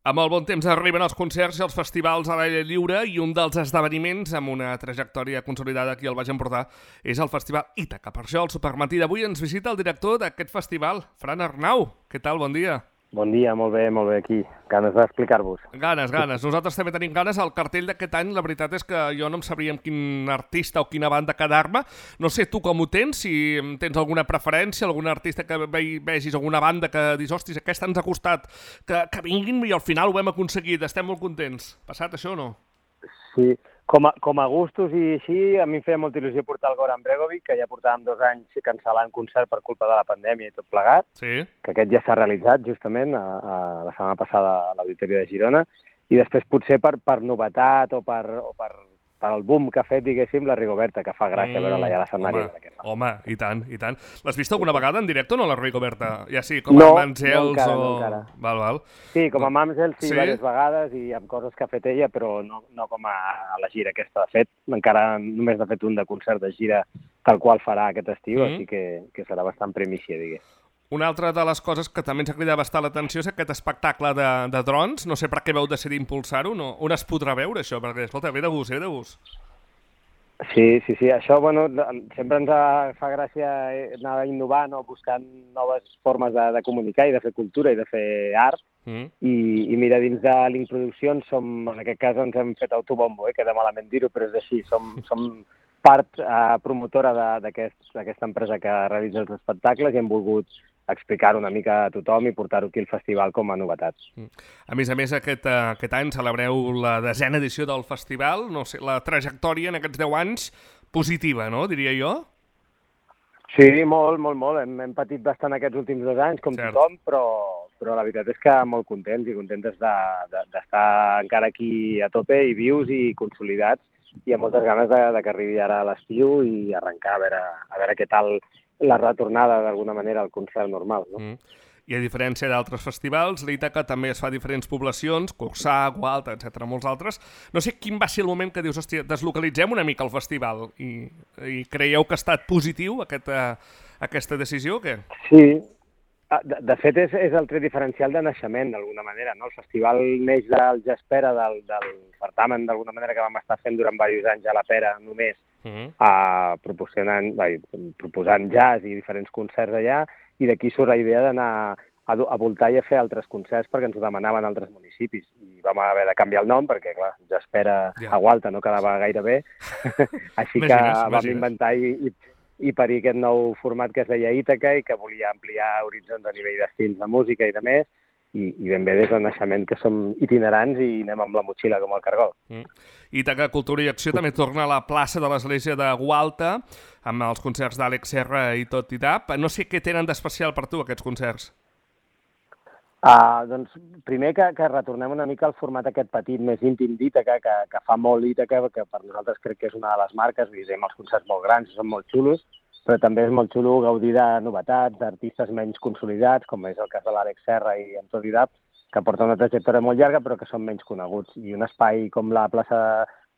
Amb el bon temps arriben els concerts i els festivals a l'aire lliure i un dels esdeveniments amb una trajectòria consolidada aquí al Baix Empordà és el Festival Ítaca. Per això, al Supermatí d'avui ens visita el director d'aquest festival, Fran Arnau. Què tal? Bon dia. Bon dia, molt bé aquí. Ganes d'explicar-vos. Ganes. Nosaltres també tenim ganes. El cartell d'aquest any, la veritat és que jo no em sabria amb quin artista o quina banda quedar-me. No sé tu com ho tens, si tens alguna preferència, algun artista que vegis, alguna banda que dius, hòsties, aquesta ens ha costat que vinguin i al final ho hem aconseguit, estem molt contents. Passat això o no? Sí, com a gustos i així, a mi em feia molta il·lusió portar el Goran Bregovic, que ja portàvem 2 anys cancel·lant concert per culpa de la pandèmia i tot plegat, Sí. que aquest ja s'ha realitzat justament la setmana passada a l'Auditori de Girona, i després potser per novetat o per el boom que ha fet, diguéssim, la Rigoberta, que fa gràcia veure-la ja a l'escenari. Home, i tant. L'has vist alguna vegada en directe o no, la Rigoberta? Ja sí, com No, a Mamsels no o... encara. Val. Sí, com a Mamsels sí, Sí? diverses vegades i amb coses que ha fet ella, però no com a la gira aquesta. De fet, encara només ha fet un de concert de gira tal qual farà aquest estiu, així que serà bastant primícia, digués. Una altra de les coses que també ens ha cridat bastant l'atenció és aquest espectacle de drons. No sé per què vau decidir impulsar-ho. No? On es podrà veure això? Perquè, escolta, ve de gust. Sí. Això, sempre ens fa gràcia anar innovant o buscant noves formes de comunicar i de fer cultura i de fer art. I mira, dins de Link Produccions, en aquest cas ens hem fet autobombo, queda malament dir-ho, però és així. Som part promotora d'aquesta empresa que realitza els espectacles i hem volgut explicar-ho una mica a tothom i portar-ho aquí al festival com a novetats. A més, aquest any celebreu la 10a edició del festival. No sé, la trajectòria en aquests 10 anys positiva, no? Diria jo. Sí, molt. Hem patit bastant aquests últims 2 anys, com tothom, però la veritat és que molt contents d'estar encara aquí a tope i vius i consolidats i amb moltes ganes que arribi ara a l'estiu i arrencar a veure què tal la retornada d'alguna manera al concert normal, no? I a diferència d'altres festivals, l'Ítaca també es fa a diferents poblacions, Corçà, Gualta, etc., molts altres. No sé quin va ser el moment que dius, hòstia, deslocalitzem una mica el festival i creieu que ha estat positiu aquesta decisió o què? Sí, de fet és el tret diferencial de naixement d'alguna manera, no? El festival neix del Jazzpera, del certamen d'alguna manera que vam estar fent durant diversos anys a la Pera només, proposant jazz i diferents concerts allà, i d'aquí surt la idea d'anar a voltar i a fer altres concerts perquè ens ho demanaven altres municipis. I vam haver de canviar el nom perquè, clar, Jazzpera a Gualta no quedava gaire bé, així que vam inventar i parir aquest nou format que es deia Ítaca i que volia ampliar horitzons a nivell d'estils de música i de més, i ben bé des del naixement que som itinerants i anem amb la motxilla com el cargol. Ítaca Cultura i Acció també torna a la plaça de l'església de Gualta amb els concerts d'Àlex Serra i tot i tap. No sé què tenen d'especial per tu aquests concerts. Doncs primer que retornem una mica al format aquest petit, més íntim d'Ítaca, que fa molt Ítaca, que per nosaltres crec que és una de les marques, visem els concerts molt grans, són molt xulos, però també és molt xulo gaudir de novetats, d'artistes menys consolidats, com és el cas de l'Àlex Serra i en tot i tap, que porta una trajectòria molt llarga però que són menys coneguts. I un espai com la plaça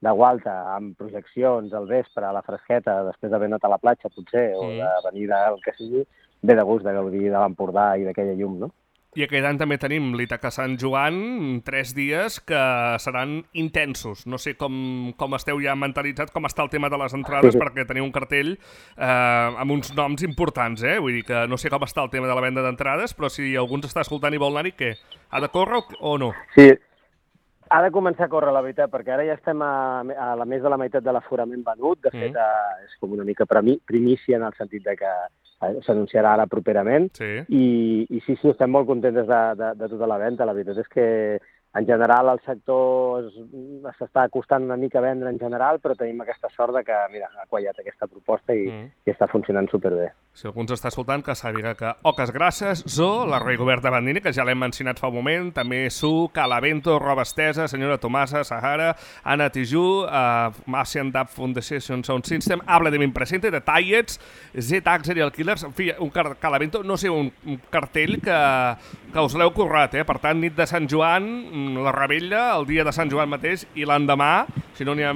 de Gualta, amb projeccions al vespre, a la fresqueta, després d'haver anat a la platja, potser, o de venir del que sigui, ve de gust de gaudir de l'Empordà i d'aquella llum, no? I aquest any també tenim l'Ítaca Sant Joan, 3 dies que seran intensos. No sé com esteu ja mentalitzats, com està el tema de les entrades, perquè teniu un cartell amb uns noms importants, Vull dir que no sé com està el tema de la venda d'entrades, però si algú ens està escoltant i vol anar-hi, què? Ha de córrer o no? Sí, ha de començar a córrer, la veritat, perquè ara ja estem a la més de la meitat de l'aforament venut. De fet, és com una mica primícia en el sentit de que s'anunciarà ara properament. I sí, estem molt contents de tota la venda. La veritat és que en general el sector s'està costant una mica a vendre en general, però tenim aquesta sort de que, mira, ha quallat aquesta proposta i està funcionant superbé. Si algú ens està escoltant, que sàpiga que Oques Grasses, Zoo, la Rigoberta Bandini, que ja l'hem mencionat fa un moment, també Su, Calavento, Roba Estesa, Senyora Tomasa, Sahara, Anna Tijoux, Asian Dub Foundation Sound System, Habla de mi presente, de Tallets, Z-Axer i el Killers, en fi, un Calavento, no sé, un cartell que us l'heu currat, Per tant, nit de Sant Joan, la Rebella, el dia de Sant Joan mateix, i l'endemà, si no n'hi ha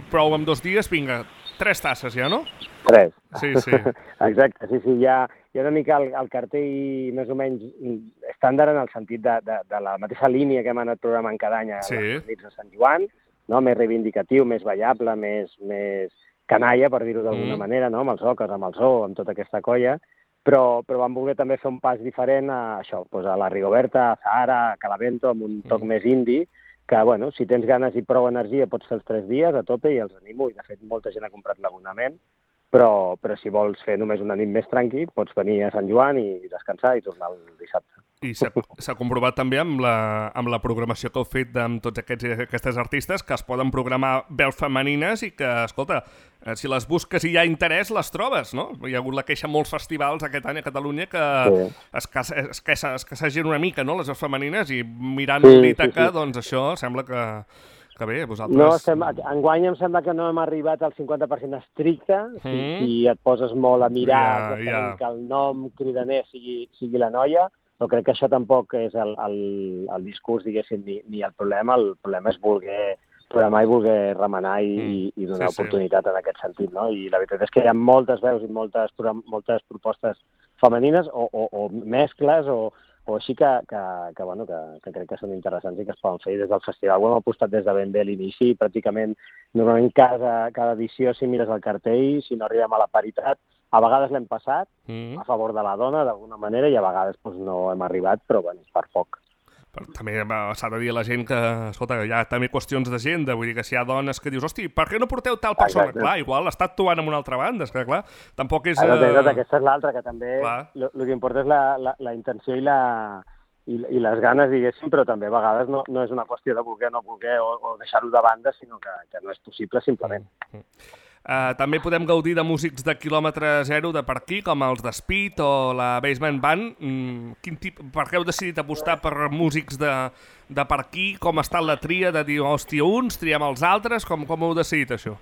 prou amb 2 dies, vinga, 3 tasses ja, no? 3. Sí. Exacte, sí, ja hi ha una mica el cartell més o menys estàndard en el sentit de la mateixa línia que hem anat programant cada any a les nits de Sant Joan, no? Més reivindicatiu, més ballable, més canalla, per dir-ho d'alguna manera, no? Amb els oques, amb el zoo, amb tota aquesta colla, però vam voler també fer un pas diferent a això, doncs a la Rigoberta, a Zahara, a Calavento, amb un toc més indi, que, bueno, si tens ganes i prou energia pots fer els 3 dies a tope i els animo, i de fet molta gent ha comprat l'abonament, però si vols fer només una nit més tranqui, pots venir a Sant Joan i descansar i tornar el dissabte. I s'ha comprovat també amb la programació que heu fet amb tots aquestes artistes que es poden programar veus femenines i que, escolta, si les busques i hi ha interès, les trobes, no? Hi ha hagut la queixa molts festivals aquest any a Catalunya que escassegen una mica, no?, les veus femenines, i mirant l'Ítaca, doncs això sembla que bé, vosaltres... No, enguany em sembla que no hem arribat al 50% estricte, si et poses molt a mirar que el nom cridaner sigui la noia, però crec que això tampoc és el discurs, diguéssim, ni el problema. El problema és voler programar i voler remenar i donar oportunitat en aquest sentit, no? I la veritat és que hi ha moltes veus i moltes propostes femenines o mescles o així que crec que són interessants i que es poden fer. Des del festival ho hem apostat des de ben bé a l'inici, pràcticament normalment cada edició, si mires el cartell, si no arribem a la paritat, a vegades l'hem passat a favor de la dona d'alguna manera i a vegades no hem arribat, però per poc. Però també s'ha de dir a la gent que, escolta, hi ha també qüestions d'agenda, vull dir que si hi ha dones que dius, hosti, per què no porteu tal persona? Exacte. Clar, igual està actuant en una altra banda, és que clar, tampoc és... Aquesta és l'altra, que també el que importa és la intenció i les ganes, diguéssim, però també a vegades no és una qüestió de voler o no voler o deixar-ho de banda, sinó que no és possible, simplement. També podem gaudir de músics de quilòmetre zero de per aquí, com els de Speed o la Basement Band. Per què heu decidit apostar per músics de per aquí? Com ha estat la tria de dir, hòstia, uns, triem els altres? Com heu decidit això?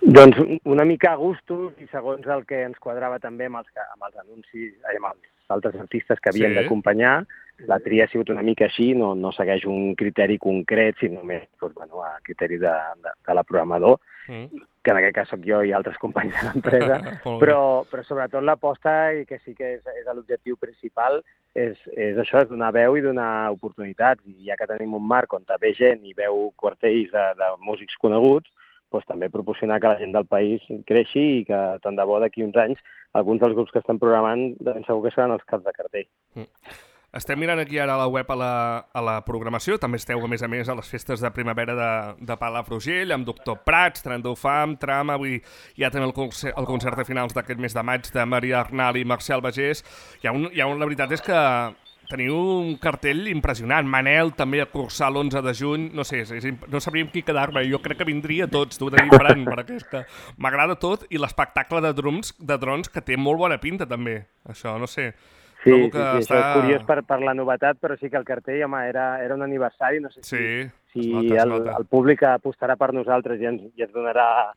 Doncs una mica a gustos i segons el que ens quadrava també amb els anuncis, amb els altres artistes que havien d'acompanyar. La tria ha sigut una mica així, no segueix un criteri concret, sinó més a criteri de la programador, que en aquest cas soc jo i altres companys de l'empresa, però sobretot l'aposta, i que sí que és l'objectiu principal, és això, és donar veu i donar oportunitats. I ja que tenim un marc on ve gent i veu quartells de músics coneguts, doncs també proporcionar que la gent del país creixi i que tant de bo d'aquí uns anys alguns dels grups que estan programant ben segur que seran els caps de cartell. Estem mirant aquí ara a la web a la programació. També esteu, a més a les festes de primavera de Palafrugell, amb Doctor Prats, Trendou Fam, Trama, avui hi ha també el concert de finals d'aquest mes de maig de Maria Arnal i Marcel Bagés. La veritat és que teniu un cartell impressionant. Manel també a cursar l'11 de juny. No sé, no sabríem qui quedar-me. Jo crec que vindria tots, t'ho he de dir, Fran, perquè és que m'agrada tot, i l'espectacle de drons que té molt bona pinta també. Això, no sé... Sí, això és curiós per la novetat, però sí que el cartell, home, era un aniversari, no sé si el públic apostarà per nosaltres i ens donarà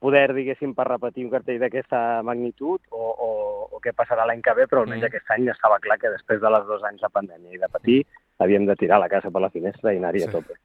poder, diguéssim, per repetir un cartell d'aquesta magnitud o què passarà l'any que ve, però almenys aquest any ja estava clar que després de les 2 anys de pandèmia i de patir havíem de tirar la casa per la finestra i anar-hi a tope.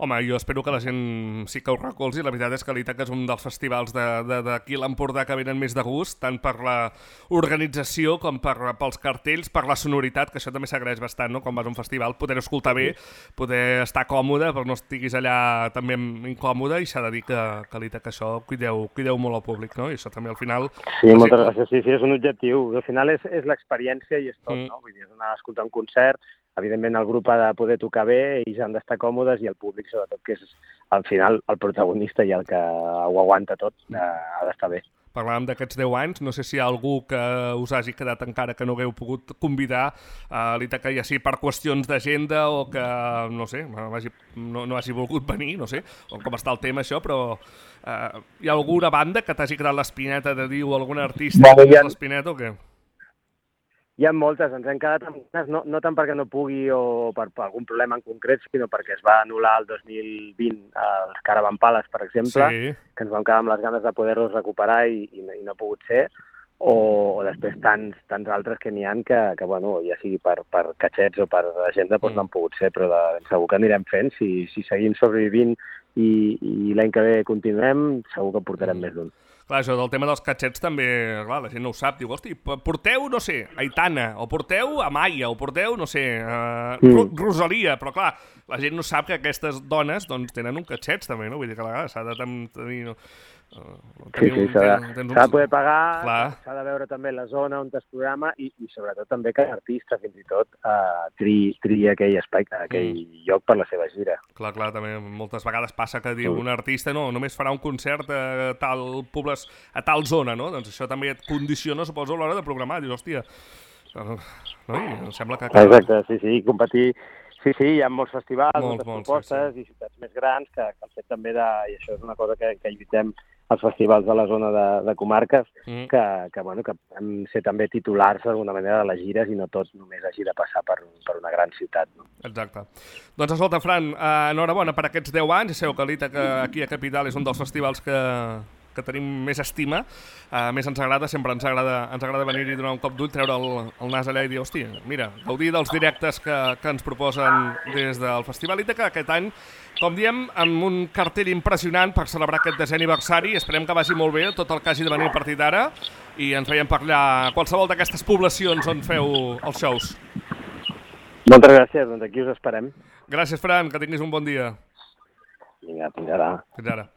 Home, jo espero que la gent sí que ho recolzi. La veritat és que l'Ítaca és un dels festivals d'aquí a l'Empordà que venen més de gust, tant per l'organització com pels cartells, per la sonoritat, que això també s'agraeix bastant, no? Quan vas a un festival, poder escoltar bé, poder estar còmode, però no estiguis allà també incòmode, i s'ha de dir que l'Ítaca això cuideu molt al públic, no? I això també al final... Sí, moltes gràcies. Sí, és un objectiu. Al final és l'experiència i és tot, no? Vull dir, és anar a escoltar un concert. Evidentment el grup ha de poder tocar bé, ells han d'estar còmodes i el públic, sobretot, que és al final el protagonista i el que ho aguanta tot, ha d'estar bé. Parlàvem d'aquests 10 anys, no sé si hi ha algú que us hagi quedat encara que no hagueu pogut convidar a l'Ítaca, ja sigui per qüestions d'agenda o que, no sé, no hagi volgut venir, no sé, o com està el tema això, però hi ha alguna banda que t'hagi quedat l'espineta de dir, o algun artista que t'hagi l'espineta o què? Hi ha moltes, ens hem quedat amb ganes, no tant perquè no pugui o per algun problema en concret, sinó perquè es va anul·lar el 2020 els Caravan Palace, per exemple, que ens vam quedar amb les ganes de poder-los recuperar i no ha pogut ser, o després tants altres que n'hi ha que bueno, ja sigui per catxets o per agenda, doncs no han pogut ser, però segur que anirem fent. Si seguim sobrevivint i l'any que ve continuem, segur que portarem més d'un. Clar, això del tema dels catxets també, clar, la gent no ho sap. Diu, hosti, porteu, no sé, Aitana, o porteu Amaya, o porteu, no sé, Rosalia, però clar, la gent no sap que aquestes dones doncs, tenen un catxet també, no? Vull dir que a vegades s'ha de tenir... Sí, s'ha de poder pagar, s'ha de veure també la zona on es programa i sobretot també que l'artista fins i tot triï aquell espai, aquell lloc per la seva gira. Clar, també moltes vegades passa que diu un artista no, només farà un concert a tal zona, no? Doncs això també et condiciona, suposo, a l'hora de programar. Dius, hòstia, no? I em sembla que... Exacte, sí, competir... Sí, hi ha molts festivals, moltes propostes i ciutats més grans que el fet també de... I això és una cosa que lluitem als festivals de la zona de comarques, que hem ser també titulars d'alguna manera de les gires i no tot només hagi de passar per una gran ciutat. No? Exacte. Doncs escolta, Fran, enhorabona per aquests 10 anys. Ja sabeu que l'ITA aquí a Capital és un dels festivals que tenim més estima, més ens agrada, sempre ens agrada venir-hi, donar un cop d'ull, treure el nas allà i dir, hòstia, mira, gaudir dels directes que ens proposen des del Festival ITA, que aquest any, com diem, amb un cartell impressionant per celebrar aquest 10è aniversari. Esperem que vagi molt bé tot el que hagi de venir a partir d'ara i ens veiem per allà a qualsevol d'aquestes poblacions on feu els shows. Moltes gràcies, doncs aquí us esperem. Gràcies, Fran, que tinguis un bon dia. Vinga, fins ara. Fins ara.